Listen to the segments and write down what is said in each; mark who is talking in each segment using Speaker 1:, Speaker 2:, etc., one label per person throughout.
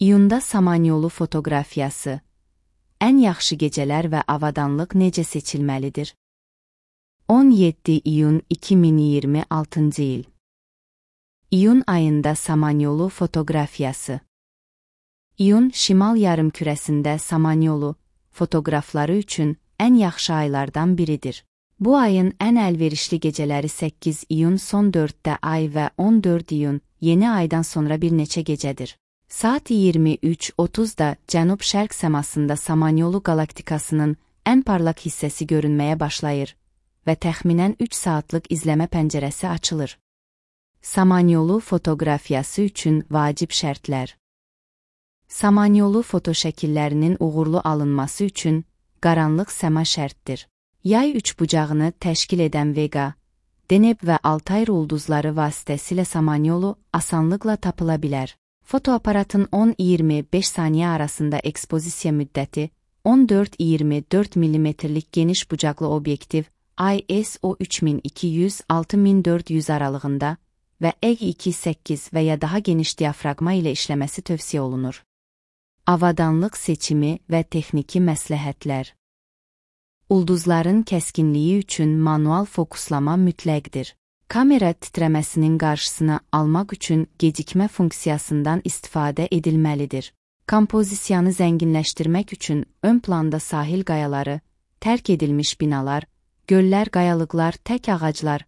Speaker 1: İyunda Samanyolu fotoqrafiyası. Ən yaxşı gecələr və avadanlıq necə seçilməlidir? 17 iyun 2026 il. İyun ayında Samanyolu fotoqrafiyası. İyun, şimal yarımkürəsində Samanyolu fotoqrafları üçün ən yaxşı aylardan biridir. Bu ayın ən əlverişli gecələri 8 iyun son 4-də ay və 14 iyun yeni aydan sonra bir neçə gecədir. Saat 23:30-da cənub-şərq səmasında Samanyolu qalaktikasının ən parlaq hissəsi görünməyə başlayır və təxminən 3 saatlıq izləmə pəncərəsi açılır. Samanyolu fotoqrafiyası üçün vacib şərtlər. Samanyolu fotoşəkillərinin uğurlu alınması üçün qaranlıq səma şərtdir. Yay üçbucağını təşkil edən Vega, Deneb və Altay ulduzları vasitəsilə Samanyolu asanlıqla tapıla bilər. Fotoaparatın 10-25 saniyə arasında ekspozisiya müddəti, 14-24 mm-lik geniş bucaqlı obyektiv ISO 3200-6400 aralığında və EG-2-8 və ya daha geniş diafraqma ilə işləməsi tövsiyə olunur. Avadanlıq seçimi və texniki məsləhətlər. Ulduzların kəskinliyi üçün manual fokuslama mütləqdir. Kamera titrəməsinin qarşısını almaq üçün gecikmə funksiyasından istifadə edilməlidir. Kompozisiyanı zənginləşdirmək üçün ön planda sahil qayaları, tərk edilmiş binalar, göllər, qayalıqlar, tək ağaclar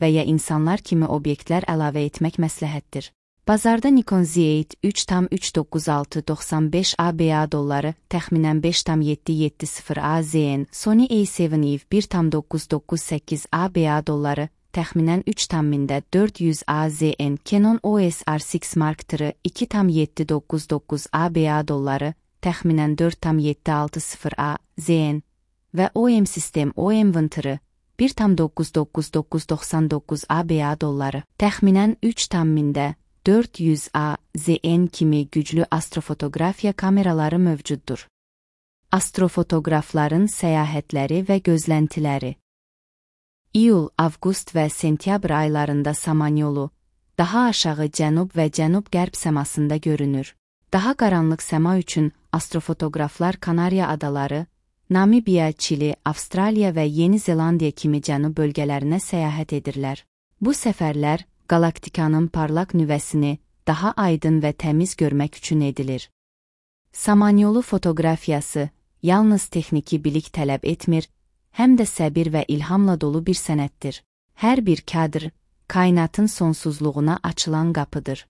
Speaker 1: və ya insanlar kimi obyektlər əlavə etmək məsləhətdir. Bazarda Nikon Z8 3.39695 ABA dolları, təxminən 5.770 AZN, Sony A7 EV 1.998 ABA dolları, təxminən 3.400 AZN, Canon EOS R6 Mark III 2.799 ABA dolları, təxminən 4.760 AZN və OEM sistem OEM Venture 1.99999 ABA dolları, təxminən 3.400 AZN kimi güclü astrofotoqrafiya kameraları mövcuddur. Astrofotoqrafların səyahətləri və gözləntiləri. İyul, avqust və sentyabr aylarında Samanyolu daha aşağı cənub və cənub-qərb səmasında görünür. Daha qaranlıq səma üçün astrofotoqraflar Kanariya adaları, Namibiya, Çili, Avstraliya və Yeni Zelandiya kimi cənub bölgələrinə səyahət edirlər. Bu səfərlər qalaktikanın parlaq nüvəsini daha aydın və təmiz görmək üçün edilir. Samanyolu fotoqrafiyası yalnız texniki bilik tələb etmir, həm də səbir və ilhamla dolu bir sənətdir. Hər bir kadr, kainatın sonsuzluğuna açılan qapıdır.